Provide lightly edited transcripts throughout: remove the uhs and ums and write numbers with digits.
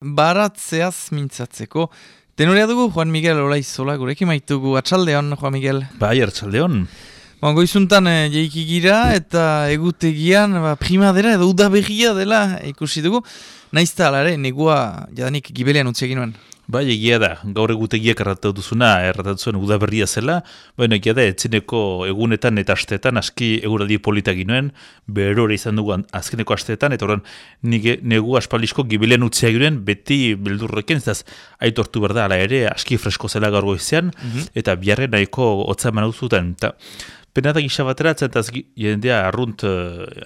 baratzeaz mintzatzeko. Tenorea dugu Juan Miguel Olaizola, gurekin maitugu. Atxaldeon, Juan Miguel. Bai, atxaldeon. Goizuntan jeiki gira eta egutegian primadera edo udaberria dela ikusi dugu. Naizta alare, negua jadanik gibelean utzi egin nuen. Bai, egia da, gaur egutegiak erratatu zuen udaberria zela, baina egia da, etzineko egunetan eta asteetan aski eguraldi politak ginoen, berore izan dugu azkeneko asteetan, eta horren negu aspaldizko gibelean utzi egin beti beldurrekin, ez aitortu berda, ala ere, aski fresko zela gaur goizean, eta biharren nahiko hotza eman zuten. Penatak gisa batera, zentaz jendea arrunt,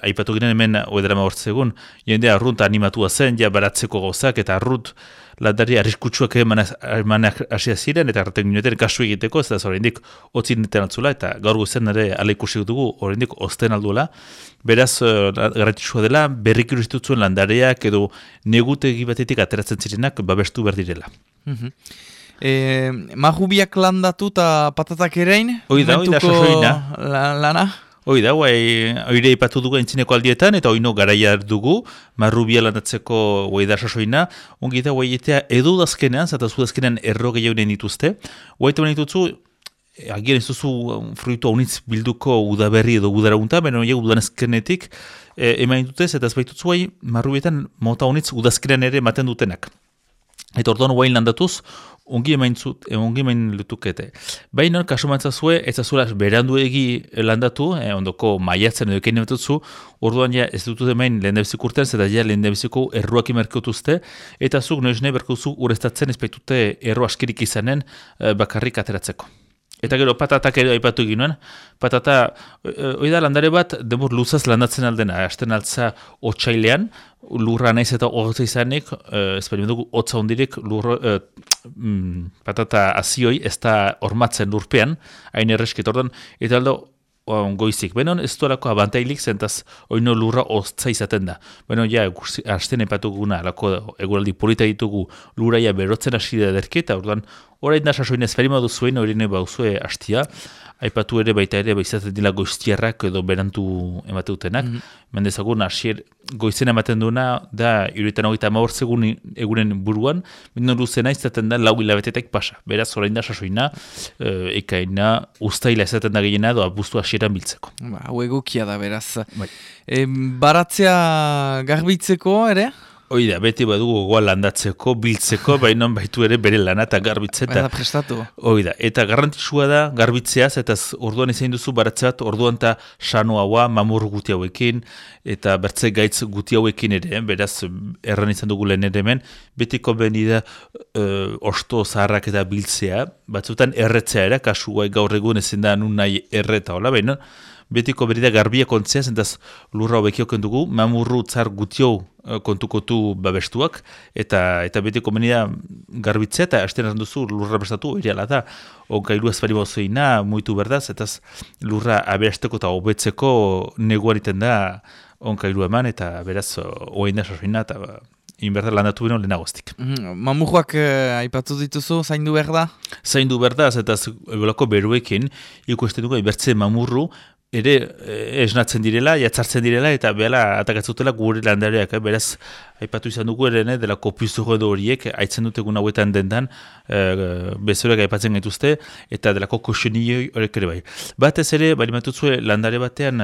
aipatu ginen hemen oedera mahortzegun, jendea arrunt animatua zen, ja baratzeko gauzak, eta arrunt landari arriskutsuak emanak hasia ziren, eta erraten gineten kasu egiteko, ez da oraindik otzin neten altzula, eta gaur goizen ere ala ikusi dugu, oraindik osten alduela. Beraz, garrantzitsua dela, berrik iruzitutzuen landareak edo negutegi batetik ateratzen zirenak babestu behar direla. Mahubiak landatu eta patatak erein? Oida, sasoina. Lana? Oida, oire ipatu dugu entzineko aldietan, eta oino garaia dugu, marrubia landatzeko oida sasoina, ongi da, oietea edo dazkenean, zata zu dazkenean erro gehionen dituzte, oita ditutzu, agian ez duzu fruitu haunitz bilduko udaberri edo udaraunta, baina udanezkenetik eman ditutez, eta ez baitutzu marrubietan mota haunitz udazkenean ere ematen dutenak. Eta orduan guain landatuz, ongi emain lutukete. Baina, kasu mantzazue, ez azula beranduegi landatu, ondoko maiatzen edo ekein ematutzu, orduan ja ez dutut emain lehendabiziko urtean, zeta ja lehendabiziko erruak imerkotuzte, eta zuk noiz nahi berkuzu ureztatzen ez baitute erro askirik izanen bakarrik ateratzeko. Eta gero patatak ere aipatu egin patata, oida landare bat, demur luzaz landatzen aldena, hasten altza otsailean, lurra naiz eta hotza izanik, ezberdin dugu hotza hondirik patata azioi ez da hormatzen lurpean, hain erreskit ordan, eta aldo goizik. Benon ez duelako abantailik zentaz oino lurra hotza izaten da. Beno ja, hasten epatu guna, alako eguraldi polita ditugu lurraia berotzen hasi da derketa, ordan orain da sasoin ezperima duzuen, horine bauzue hastia, aipatu ere baita ere izaten dila goiztiarrak edo berantu emateutenak. Mendezagun hasier goizen ematen duena da 78 egunen buruan, bino luzena izaten da 4 hilabetetek pasa. Beraz orain da sasoina, ekaina, ustaila izaten da gehiena edo abuztu hasieran biltzeko. Hau egokia da beraz. Baratzea garbitzeko ere? Oida, beti badugu gogoa landatzeko, biltzeko, baina baitu ere bere lana eta garbitzea. Baina prestatu. Oida, eta garrantzitsua da garbitzeaz, eta orduan izan duzu baratzeat, orduan eta sano haua, mamur guti hauekin, eta bertze gaitz guti hauekin ere, beraz, erran izan dugu lehen ere hemen, betiko beni da osto zaharrak eta biltzea, batzutan erretzea ere, kasu gaur egun ezin da nun nahi erreta, hola, baina, betiko berida garbia kontzea, zentaz lurra hobekioken dugu, mamurru tzar gutio kontukotu babestuak, eta betiko menida garbitzea, eta hasten duzu lurra prestatu, eriala da, onkailu ezbari bozoina, muitu berdaz, eta lurra aberasteko eta hobetzeko neguan iten da onkailu eman, eta beraz, oain da sasoina, eta inberda landatu beno lehenagoztik. Mamurruak aipatu dituzu, zaindu behar da? Zaindu behar da, eta ebolako beruekin, ikusten dugu, ibertze mamurru, ere esnatzen direla, jatzartzen direla, eta behala atakatzutela gure landareak, beraz, aipatu izan dugu ere, dela kopizuro edo horiek, aitzen dutegun hauetan dendan, bezoreak aipatzen gaituzte, eta delako koxenioi horiek ere bai. Batez ere, bali matuzue landare batean,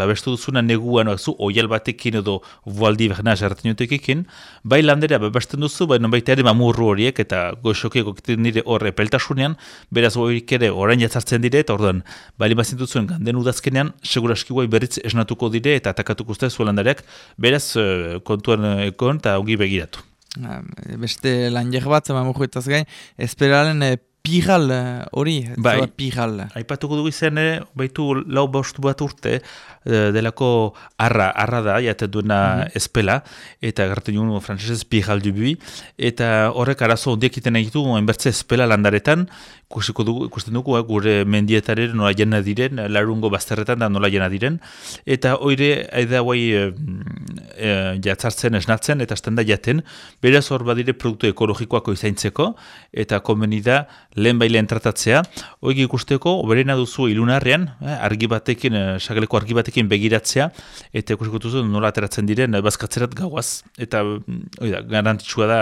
babestu duzuna neguan, oial batekin edo voaldi berna jarraten jotekekin, bai landarea babesten duzu, baina baita ere mamurru horiek, eta goxokiek okiten dire horre peltasunean, beraz horiek ere orain jatzartzen dire, eta orduan, bali mazin duzuen ganden udazkenean, seguraski guai berriz esnatuko dire, eta atakatuko uste zuen landareak, beraz kontuan ekon eta ongi begiratu. Beste lanjer bat, mamurruetaz gain, esperalen piral hori, piral. Aipatuko dugu izan, baitu lau bostu bat urte, delako arra da, jaten duena espela, eta garten joan frantzesez piral dubui, eta horrek arazo ondiek iten egitu, enbertze espela landaretan, ikusten dugu, gure mendietaren nola jena diren, larungo bazterretan da nola jena diren, eta oire, aida guai jatzartzen, esnatzen, eta azten da jaten, beraz hor badire produktu ekologikoako izaintzeko, eta konbeni da lehen bailean tratatzea, hori ikusteko, berena duzu ilunarrean, argi batekin, sageleko argi batekin begiratzea, eta ikusiko duzu nola ateratzen diren bazkatzerat gauaz. Eta, hori da, garantitxua da,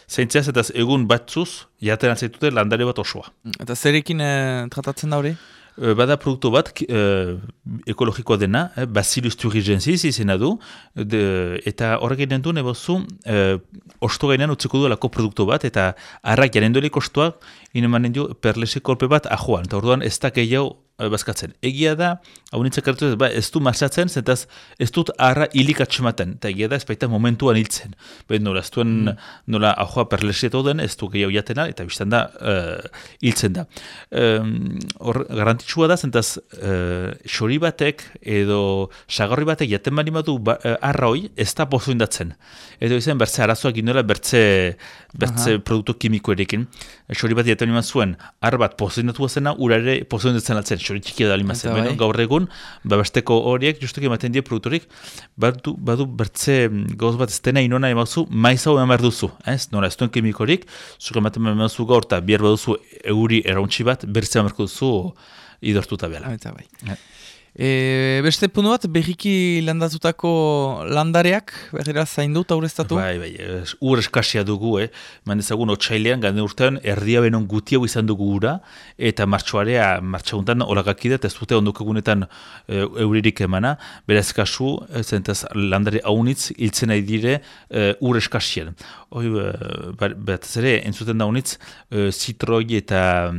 zaintzeaz, eta egun batzuz, jaten atzaitute landare bat osoa. Eta zerekin tratatzen da hori? Bada produktu bat ekologikoa dena, Bacillus thuringiensis izena du, eta horrek egiten du nebozu osto gainean utziko duelako produktu bat, eta harrak jaren doelik ostoak inemanen du perlese kolpe bat ajoan, eta orduan ez da gehiago bazkatzen. Egia da, hau nintzak hartu ez du marxatzen, zentaz ez dut harra hilik atxematen, eta egia da ez baita momentuan hiltzen. Nola, ez duen nola ahoa perleseto den, ez du gehiago jatena, eta biztan da hiltzen da. Hor, garantitxua da, zentaz xori batek edo sagarri batek jaten bali badu harra hoi, ez da pozoindatzen. Edo izan bertze arazoak inoela bertze produktu kimiko erekin. Xori bat jaten bali zuen, har bat pozoindatu zena, urare pozoindatzen altzen. Xori txikia da alimazen, baina gaur egun, besteko horiek, justuki ematen die produktorik, badu bertze gauz bat ez dena inona emazu, maiz hau emar duzu, ez? Nola, ez duen kimikorik, zuk ematen emazu gaur, eta bihar baduzu euri errauntxi bat, bertze emarko duzu idortuta behela. Eta bai. Beste puntu bat, berriki landatutako landareak, berrera zaindu eta ureztatu? Bai, ur eskasia dugu, mandezagun otsailean, gane urtean, erdia benon gutiago izan dugu ura, eta martxaguntan olagakide, eta ez dute ondukagunetan euririk emana, beraz kasu, zentaz landare haunitz, hiltzen nahi dire ur eskasian. Bat ere, entzuten da haunitz, zitroi eta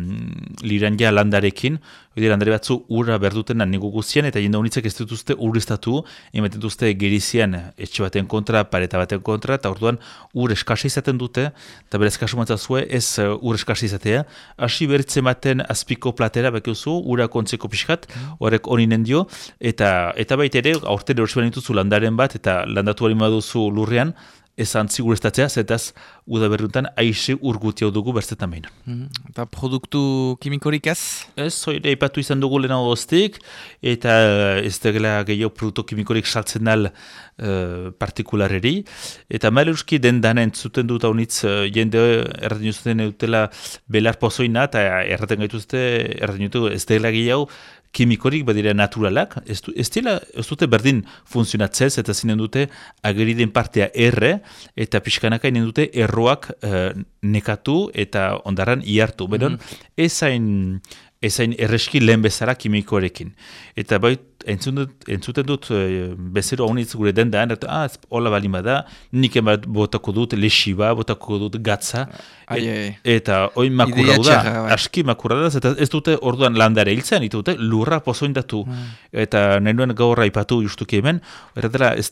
lirandia landarekin, landare batzu ura berduten nigu guzien, eta jende honitzek ez dituzte urreztatu, ematen duzte gerizian etxe baten kontra, pareta baten kontra, eta orduan ur eskasa izaten dute, eta berez kasu matzazue ez ur eskasa izatea, hasi berritzen baten azpiko platera, bakiuzu, ura kontzeko pixkat, horrek honinen dio, eta baita ere, aurten erosiban dituzu landaren bat, eta landatu bali baduzu lurrean, ez antzi ureztatzea, zetaz udaberriuntan aixe urguti hau dugu berzetan behin. Eta produktu kimikorik ez? Ez, zoire ipatu izan dugu lehen goztik, eta ez degela gehiago produktu kimikorik saltzen dal partikulareri, eta mailuski den dana entzuten dut haunitz jende erraten juzten dutela belar pozoina, eta erraten gaituzte, erraten jutu ez degela gehiago kimikorik badira naturalak, ez dute berdin funtzionatzez, eta zinen dute ageriden partea erre, eta pixkanaka inen dute erroak nekatu eta ondaran iartu. Beron, ezain erreski lehen bezala kimikoarekin. Eta bai, entzuten dut bezero haunitz gure dendan, hola balin bada, nik emat botako dut lexiba, botako dut gatza, eta hoi makurra da, aski makurra da, eta ez dute orduan landare hiltzen, eta dute lurra pozoindatu, eta nahi nuen gaurra ipatu justuki hemen, ez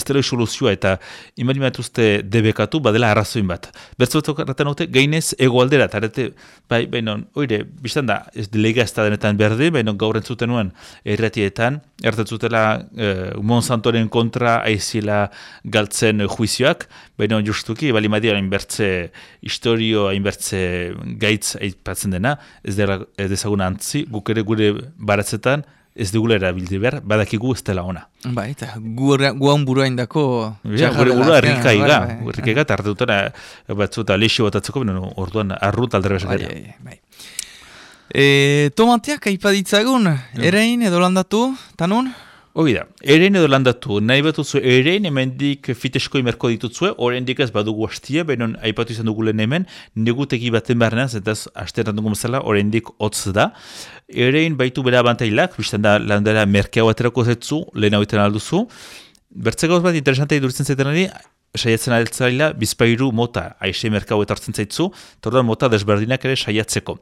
dela soluzioa, eta imaginatzuzte debekatu, badela arrazoin bat. Bertzotok erraten dute, gainez egoaldera, eta baina, oire, biztan da, ez delega ez da denetan berde, baina gaur entzuten nuen erratietan, erraten zutela Monsantoren kontra aizila galtzen juizioak, baina justuki, bali madia hainbertze historio, hainbertze gaitz aipatzen dena, ez dezaguna antzi, guk ere gure baratzetan, ez dugula erabildi behar, badakigu ez dela ona. Bai, eta guan burua indako... Gure burua errikaiga, eta arte dutena batzuta lexio batatzeko, orduan arrut aldera besak bai. Tomateak aipaditzagun, erein edo landatu, tanun? Hoi da, erein edo landatu, nahi batutzu erein hemendik fitesko imerko ditutzue, oraindik ez badugu hastia, benon aipatu izan dugu lehen hemen, negutegi baten barnean, zentaz hasteetan dugu mazala, oraindik hotz da. Erein baitu bera abantailak, biztan da landera merkea baterako zetzu, lehen hau iten alduzu. Bertze gauz bat interesantea iduritzen zaiten ari, saiatzen altzaila bizpairu mota aixe merkau etartzen zaitzu, eta orduan mota desberdinak ere saiatzeko.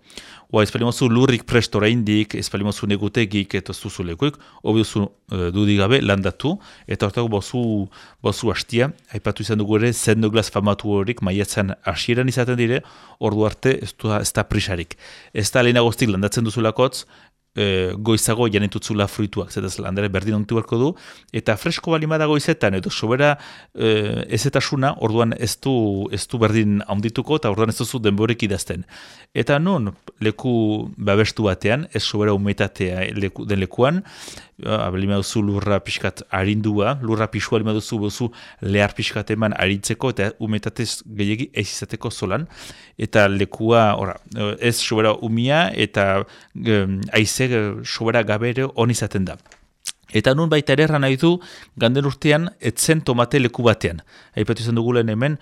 Ez palimozu lurrik prest oraindik, ez palimozu negutegik eta zuzu lekuik, obiozu dudigabe landatu, eta hortako bozu hastia, aipatu izan dugu ere, zendoglaz famatu horik maiatzen hasieran izaten dire, ordu arte ez da prisarik. Ez da lehenagoztik landatzen duzulakotz, goizago janetutzula fruituak, zetaz landare berdin ontu beharko du, eta fresko balimada goizetan, edo sobera ezetasuna, orduan ez du berdin handituko, eta orduan ez duzu denborek idazten. Eta non, leku babestu batean, ez sobera umetatea den lekuan, Balima duzu lurra pixkat arindua, lurra pixua balima duzu lehar pixkat eman arintzeko eta umetatez gehiagi ez izateko zolan. Eta lekua, ez sobera umia eta aize sobera gabere hon izaten da. Eta nun baita ere nahi du, ganden urtean etzen tomate leku batean. Aipatu izan dugulen hemen,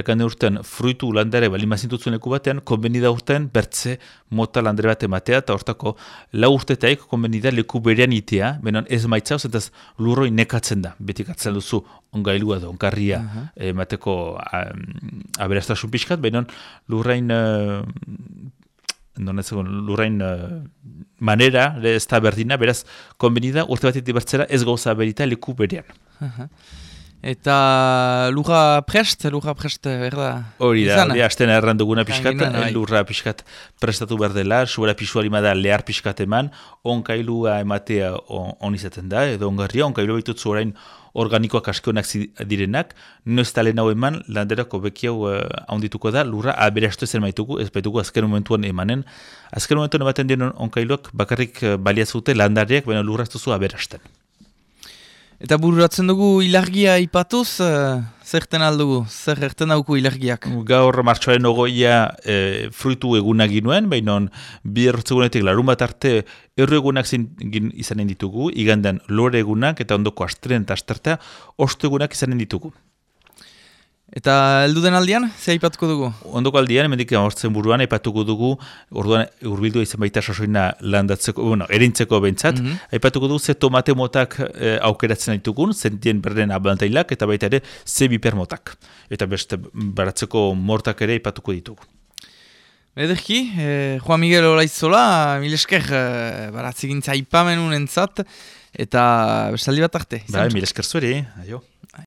ganden urtean fruitu landare balimazintutzen leku batean, konbenida urtean bertze mota landare bat ematea, eta hortako lau urtetaik konbenida leku berean itea, benon ez maitzauz, eta lurroi nekatzen da. Betik atzen duzu ongailua da, onkarria emateko aberastasun pixkat, benon lurrain... lurrain manera, ez da berdina, beraz, konbenida, urte bat bertzera ez gauza berita leku berean. Eta lurra prest, berda? Hori da, hasten erran duguna pixkat, lurra pixkat prestatu berdela, sobera pixua limada lehar pixkat eman, onkailua ematea on izaten da, edo ongarria, onkailua baitutzu orain organikoak askeonak direnak, no ez talen hau eman, landerako beki hau haundituko da, lurra aberastu ezen maitugu, ez baitugu azken momentuan emanen. Azken momentuan ematen dien onkailuak bakarrik baliazute landareak, baina lurra ez duzu aberasten. Eta bururatzen dugu ilargia ipatuz, zerten aldugu, zer erten dauku ilargiak? Gaur martxoaren ogoia fruitu egunak ginuen, baina bi errotzegunetik larun bat arte erru egunak izanen ditugu, igandean lore egunak eta ondoko astren eta astertea ostu egunak izanen ditugu. Eta elduden aldian, ze aipatuko dugu? Ondoko aldian, emendik amortzen buruan, aipatuko dugu, orduan urbildua izan baita sasoina landatzeko, erintzeko bentsat, aipatuko dugu ze tomate motak aukeratzen ditugun, zentien berden abantailak, eta baita ere ze biper motak. Eta beste baratzeko mortak ere aipatuko ditugu. Ederki, Juan Miguel Olaizola, milesker baratzegintza aipamenun entzat, eta bestaldi bat arte. Milesker zueri, aio.